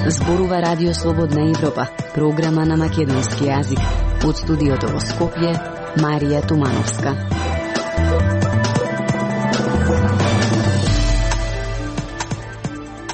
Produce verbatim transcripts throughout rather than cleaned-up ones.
Зборува Радио Слободна Европа, програма на македонски јазик. Од студиото во Скопје, Марија Тумановска.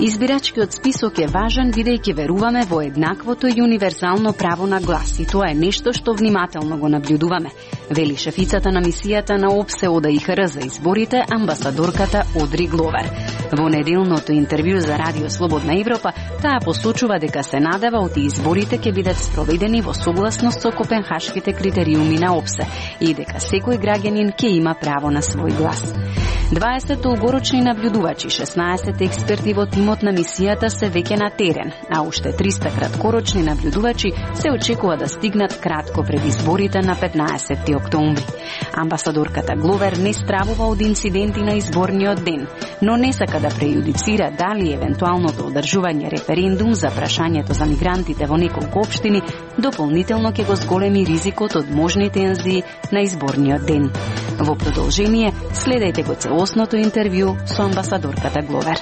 Избирачкиот список е важен бидејќи веруваме во еднаквото и универзално право на глас и тоа е нешто што внимателно го наблюдуваме, вели шефицата на мисијата на ОПСЕ ОДИХР за изборите, амбасадорката Одри Гловер. Во неделното интервју за Радио Слободна Европа, таа посочува дека се надева оти изборите ќе бидат спроведени во согласност со копенхашките критериуми на ОПСЕ и дека секој граѓанин ќе има право на свој глас. дваесет долгорочни наблюдувачи, шеснаесет експерти во тимот на мисијата се веќе на терен, а уште триста краткорочни наблюдувачи се очекува да стигнат кратко пред изборите на петнаесети октомври. Амбасадорката Гловер не стравува од инциденти на изборниот ден, но не сака да прејудицира дали евентуалното одржување референдум за прашањето за мигрантите во неколку општини дополнително ќе го зголеми ризикот од можни тензии на изборниот ден. Во продолжение, следејте го целосното интервју со амбасадорката Гловер.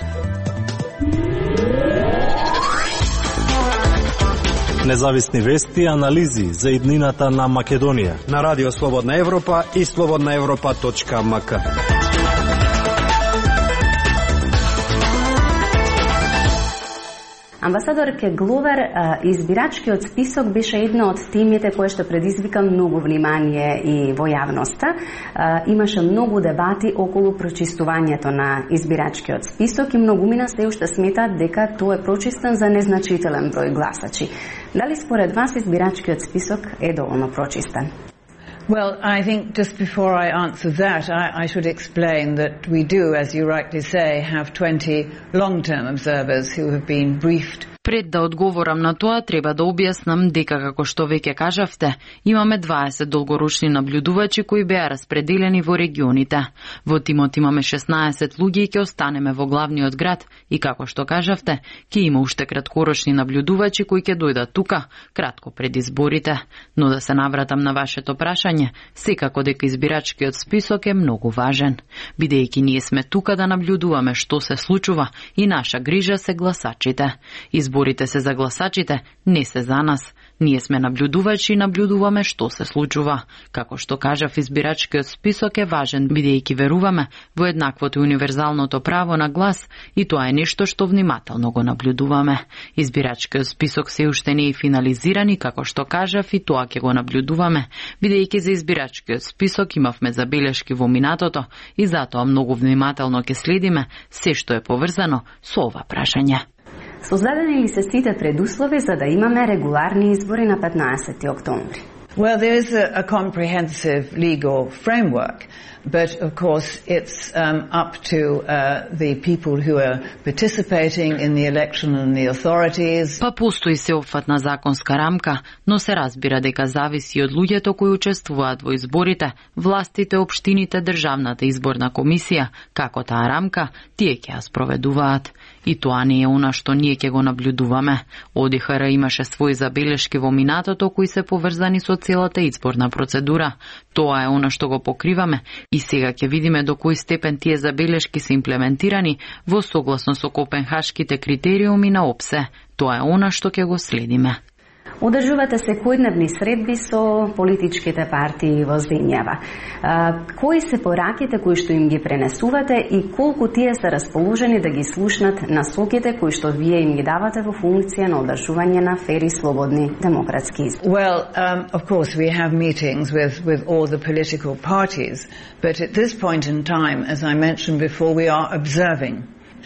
Независни вести и анализи за иднината на Македонија на Радио Слободна Европа и слободна европа точка ем ка. Амбасадорке Гловер, избирачкиот список беше една од темите која што предизвика многу внимание и во јавноста. Имаше многу дебати околу прочистувањето на избирачкиот список и многумина се уште сметаат дека тоа е прочистен за незначителен број гласачи. Дали според вас избирачкиот список е доволно прочистен? Well, I think just before I answer that, I, I should explain that we do, as you rightly say, have twenty long-term observers who have been briefed. Пред да одговорам на тоа, треба да објаснам дека, како што веќе кажавте, имаме дваесет долгорочни наблюдувачи кои беа распределени во регионите. Во тимот имаме шеснаесет луѓе и ќе останеме во главниот град и, како што кажавте, ќе има уште краткорочни наблюдувачи кои ќе дојдат тука, кратко пред изборите. Но да се навратам на вашето прашање, секако дека избирачкиот список е многу важен, бидејќи ние сме тука да наблюдуваме што се случува и наша грижа се гласачите. Изборите се за гласачите, не се за нас. Ние сме наблюдувачи и наблюдуваме што се случува. Како што кажав, избирачкиот список е важен, бидејќи веруваме во еднаквото и универзалното право на глас и тоа е нешто што внимателно го наблюдуваме. Избирачкиот список се уште не е финализиран и, како што кажав, и тоа ќе го наблюдуваме, бидејќи за избирачкиот список имавме забелешки во минатото и затоа многу внимателно ќе следиме се што е поврзано со ова прашање. Создадени ли се сите предуслови за да имаме регуларни избори на петнаесети октомври? Well, there is a, a comprehensive legal framework, but of course it's um, up to uh, the people who are participating in the election and the authorities. Па постои сеопфатна законска рамка, но се разбира дека зависи од луѓето кои учествуваат во изборите, властите, општините, државната изборна комисија, како таа рамка, тие ќе ја спроведуваат. И тоа не е она што ние ќе го наблюдуваме. ОДИХР имаше своји забелешки во минатото кои се поврзани со целата изборна процедура. Тоа е она што го покриваме и сега ќе видиме до кој степен тие забелешки се имплементирани во согласно со копенхашките критериуми на ОПСЕ. Тоа е она што ќе го следиме. Одржувате секојдневни средби со политичките партии во земјава. Кои се пораките кои што им ги пренесувате и колку тие се расположени да ги слушнат насоките кои што вие им ги давате во функција на одржување на фери, слободни, демократски избори? Well, um, of course we have meetings with, with all the political parties, but at this point in time, as I mentioned before, we are observing.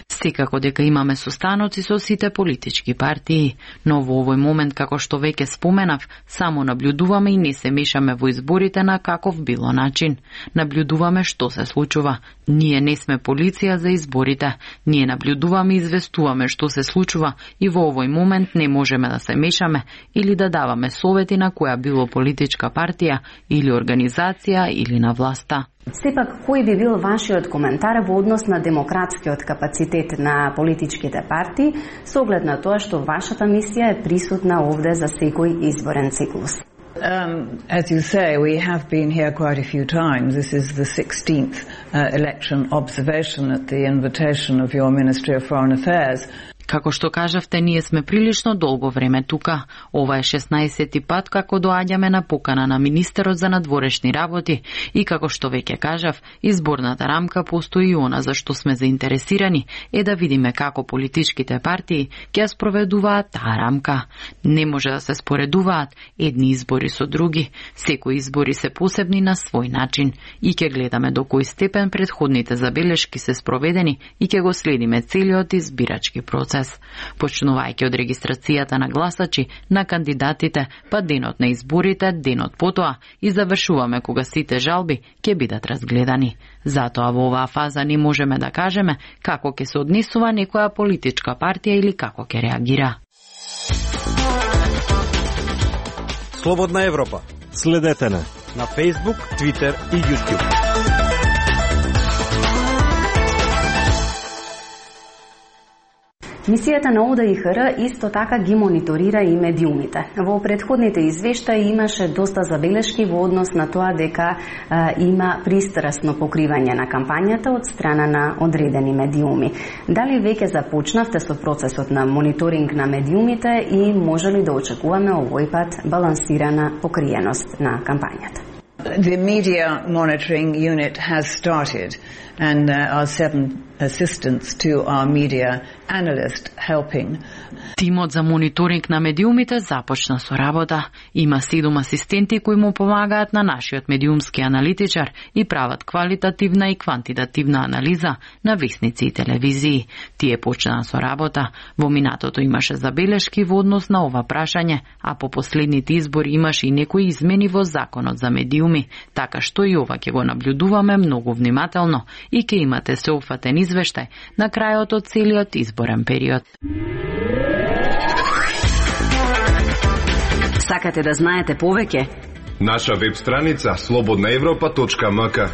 Секако дека имаме состаноци со сите политички партии, но во овој момент, како што веќе споменав, само наблюдуваме и не се мешаме во изборите на каков било начин. Наблюдуваме што се случува. Ние не сме полиција за изборите. Ние наблюдуваме и известуваме што се случува и во овој момент не можеме да се мешаме или да даваме совети на која било политичка партија или организација или на власта. Сепак, кој би бил вашиот коментар во однос на демократскиот капацитет на политичките партии, со оглед на тоа што вашата мисија е присутна овде за секој изборен циклус? Um, as you say, we have been here quite a few times. This is the sixteenth uh, election observation at the invitation of your Ministry of Foreign Affairs. Како што кажавте, ние сме прилично долго време тука. Ова е шеснаесети пат како доаѓаме на покана на министерот за надворешни работи и како што веќе кажав, изборната рамка постои и она за што сме заинтересирани е да видиме како политичките партии ќе ја спроведуваат таа рамка. Не може да се споредуваат едни избори со други. Секои избори се посебни на свој начин и ќе гледаме до кој степен претходните забелешки се спроведени и ќе го следиме целиот избирачки процес. Почнувајќи од регистрацијата на гласачи, на кандидатите, па денот на изборите, денот потоа и завршуваме кога сите жалби ќе бидат разгледани. Затоа во оваа фаза не можеме да кажеме како ќе се однесува некоја политичка партија или како ќе реагира. Слободна Европа. Следете не на Facebook, Twitter и YouTube. Мисијата на О Д И Х Р исто така ги мониторира и медиумите. Во претходните извештаи имаше доста забелешки во однос на тоа дека а, има пристрасно покривање на кампањата од страна на одредени медиуми. Дали веќе започнавте со процесот на мониторинг на медиумите и може ли да очекуваме овој пат балансирана покриеност на кампањата? The media monitoring unit has started, and there are seven assistants to our media analyst helping. Тимот за мониторинг на медиумите започна со работа. Има седум асистенти кои му помагаат на нашиот медиумски аналитичар и прават квалитативна и квантитативна анализа на весници и телевизии. Тие почнаа со работа. Во минатото имаше забелешки во однос на ова прашање, а по последните избори имаше и некои измени во законот за медиуми, така што и ова ќе го наблюдуваме многу внимателно и ќе имате сеопфатен извештај на крајот од целиот изборен период. Сакате да знаете повеќе? Наша веб страница слободна европа точка м к.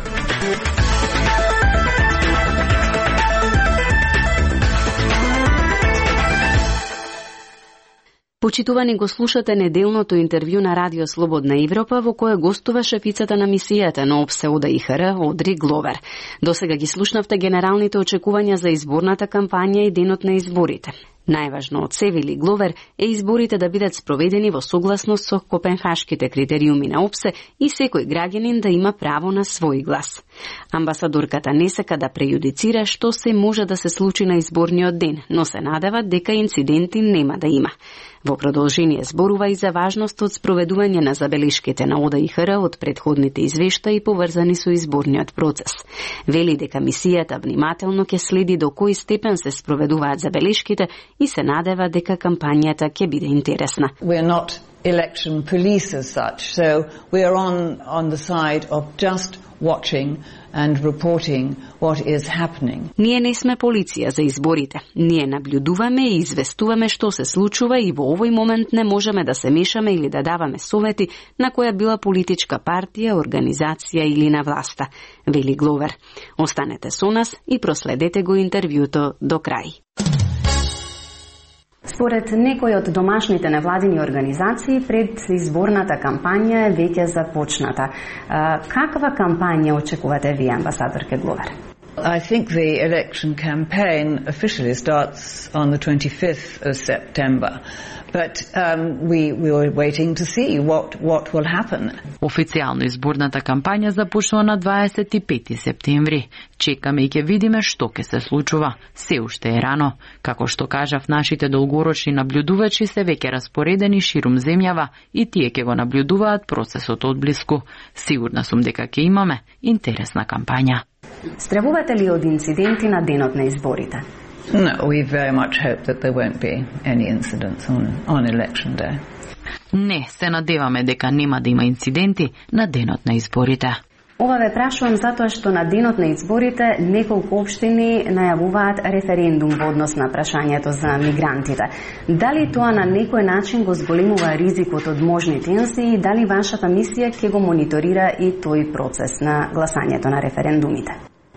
Почитувани, го слушате неделното интервју на Радио Слободна Европа во кое гостува шефицата на мисијата на О Б С Е О Д И Х Р Одри Гловер. Досега ги слушнавте генералните очекувања за изборната кампања и денот на изборите. Најважно од се, вели Гловер, е изборите да бидат спроведени во согласност со копенхашките критериуми на О Б С Е и секој граѓанин да има право на свој глас. Амбасадорката не сака да прејудицира што се може да се случи на изборниот ден, но се надева дека инциденти нема да има. Во продолжение зборува и за важност од спроведување на забелешките на О Д И Х Р од претходните извештаи поврзани со изборниот процес. Вели дека мисијата внимателно ќе следи до кој степен се спроведуваат забелешките и се надева дека кампањата ќе биде интересна. We're not election police as such, so we are on on the side of just watching and reporting what is happening. Ние не сме полиција за изборите. Ние наблюдуваме и известуваме што се случува и во овој момент не можеме да се мешаме или да даваме совети на која била политичка партија, организација или на власта, вели Гловер. Останете со нас и проследете го интервјуто до крај. Според некои од домашните невладини организации, пред изборната кампања е веќе започната. Каква кампања очекувате вие, амбасадорке Гловер? I think the election campaign officially starts on the twenty-fifth of September, but um, we, we were waiting to see what, what will happen. Официјално изборната кампања започнува на дваесет и пети септември. Чекаме и ќе видиме што ќе се случува. Се уште е рано. Како што кажав, нашите долгорочни наблюдувачи се веќе распоредени ширум земјава и тие ќе го наблюдуваат процесот одблиску. Сигурна сум дека ќе имаме интересна кампања. Стравувате ли од инциденти на денот на изборите? No, we very much hope that there won't be any incidents on, on election day. Не, се надеваме дека нема да има инциденти на денот на изборите. Ова ве прашувам затоа што на денот на изборите неколку општини најавуваат референдум во однос на прашањето за мигрантите. Дали тоа на некој начин го зголемува ризикот од можни тензии и дали вашата мисија ќе го мониторира и тој процес на гласањето на референдумите?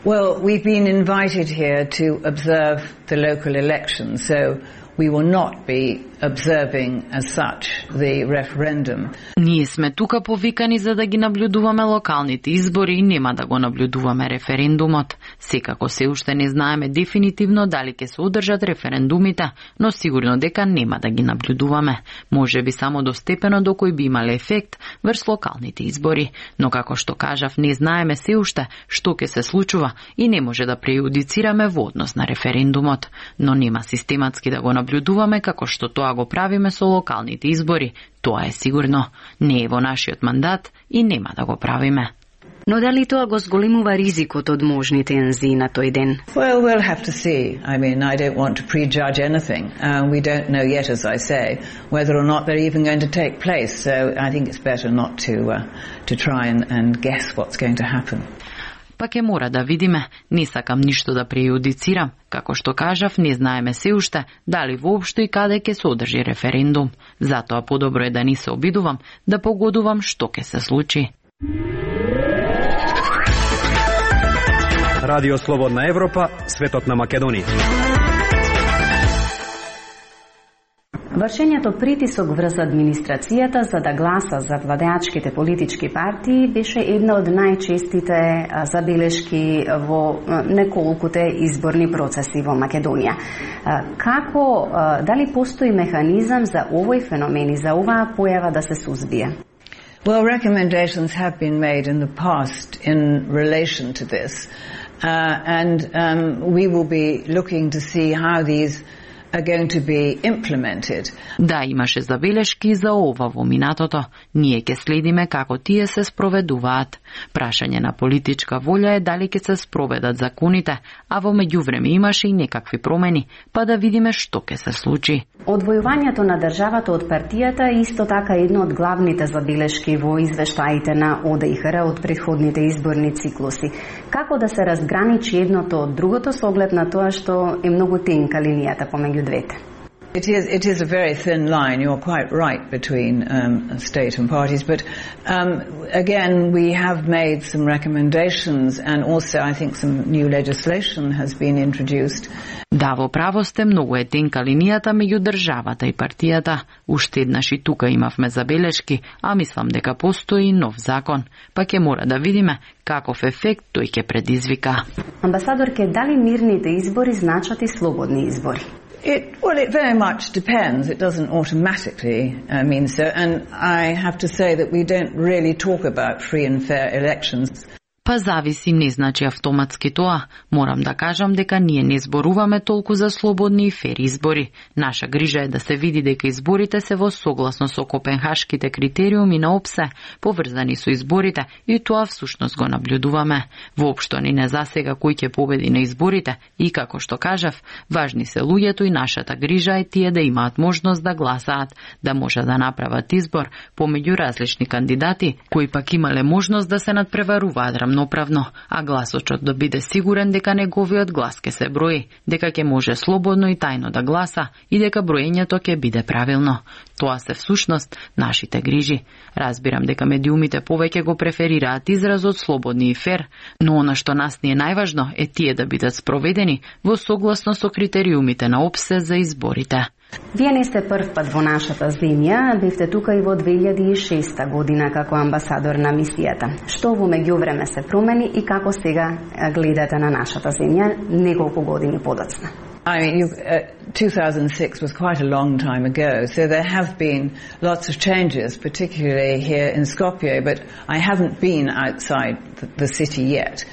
Well, we've been invited here to observe the local elections, so we will not be observing as such the referendum. Ние сме тука повикани за да ги наблюдуваме локалните избори и нема да го наблюдуваме референдумот. Секако се уште не знаеме дефинитивно дали ќе се одржат референдумите, но сигурно дека нема да ги наблюдуваме. Може би само до степено до кој би имале ефект врз локалните избори, но како што кажав, не знаеме се уште што ќе се случува и не може да прејудицираме во однос на референдумот, но нема систематски да го наблюдуваме како што тоа го правиме со локалните избори. Тоа е сигурно. Не е во нашиот мандат и нема да го правиме. Но дали тоа го зголемува ризикот од можни тензии на тој ден? Well, we'll have to see. I mean, I don't want to prejudge anything. Um, we don't know yet, as I say, whether or not they're even going to take place. So I think it's better not to uh, to try and, and guess what's going to happen. Па ќе мора да видиме, не сакам ништо да прејудицирам. Како што кажав, не знаеме се уште дали воопшто и каде ќе се одржи референдум. Затоа подобро е да не се обидувам, да погодувам што ќе се случи. Радио Слободна Европа, светот на Македонија. Вршењето притисок врз администрацијата за да гласа за владеачките политички партии беше една од најчестите забелешки во неколкуте изборни процеси во Македонија. Како, дали постои механизам за овој феномен и за оваа појава да се сузбие? Well, recommendations have been made in the past in relation to this, uh, and um, we will be looking to see how these are going to be implemented. Да, имаше забелешки за ова во минатото. Ние ќе следиме како тие се спроведуваат. Прашање на политичка волја е дали ќе се спроведат законите, а во меѓувреме имаше и некакви промени, па да видиме што ќе се случи. Одвојувањето на државата од партијата е исто така едно од главните забелешки во извештаите на О Д И Х Р од претходните изборни циклуси. Како да се разграничи едното од другото со оглед на тоа што е многу тенка линијата помеѓу двете? It is, it is a very thin line, you're quite right, between um, state and parties, but um, again, we have made some recommendations and also I think some new legislation has been introduced. Да, во право сте, многу е тенка линијата меѓу државата и партијата. Уште еднаш и тука имавме забелешки, а мислам дека постои нов закон. Па ќе мора да видиме каков ефект тој ќе предизвика. Амбасадорке, дали мирните избори значат и слободни избори? It, well, it very much depends. It doesn't automatically uh, mean so. And I have to say that we don't really talk about free and fair elections. Па зависи, не значи автоматски тоа. Морам да кажам дека ние не зборуваме толку за слободни и фер избори. Наша грижа е да се види дека изборите се во согласно со копенхашките критериуми на ОПСЕ, поврзани со изборите, и тоа всушност го наблюдуваме. Воопшто ни не засега кој ќе победи на изборите и, како што кажав, важни се луѓето и нашата грижа е тие да имаат можност да гласаат, да може да направат избор помеѓу различни кандидати, кои пак имале можност да се надпреваруваат рамноправно, а гласочот да биде сигурен дека неговиот глас ќе се брои, дека ќе може слободно и тајно да гласа и дека броењето ќе биде правилно. Тоа се всушност нашите грижи. Разбирам дека медиумите повеќе го преферираат изразот слободни и фер, но она што нас ни е најважно е тие да бидат спроведени во согласно со критериумите на ОПСЕ за изборите. Вие не сте прв пат во нашата земја, бевте тука и во две илјади и шеста година како амбасадор на мисијата. Што во меѓувреме се промени и како сега гледате на нашата земја неколку години подоцна? I mean, you, uh, two thousand six was quite a long time ago, so there have been lots of changes, particularly here in Skopje, but I haven't been outside the, the city yet.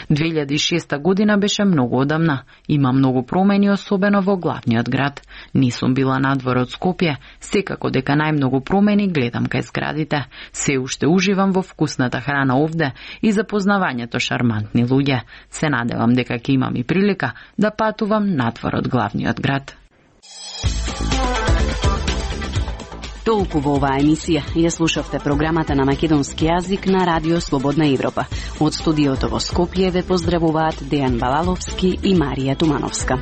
две илјади и шеста година беше многу одамна. Има многу промени, особено во главниот град. Не сум била надвор од Скопје, секако дека најмногу промени гледам кај зградите. Се уште уживам во вкусната храна овде и запознавањето шармантни луѓе. Се надевам дека ќе имам и прилика да патувам надвор од главниот град. Толку во оваа емисија ја слушавте програмата на македонски јазик на Радио Слободна Европа. Од студиото во Скопје ве поздравуваат Дејан Балаловски и Марија Тумановска.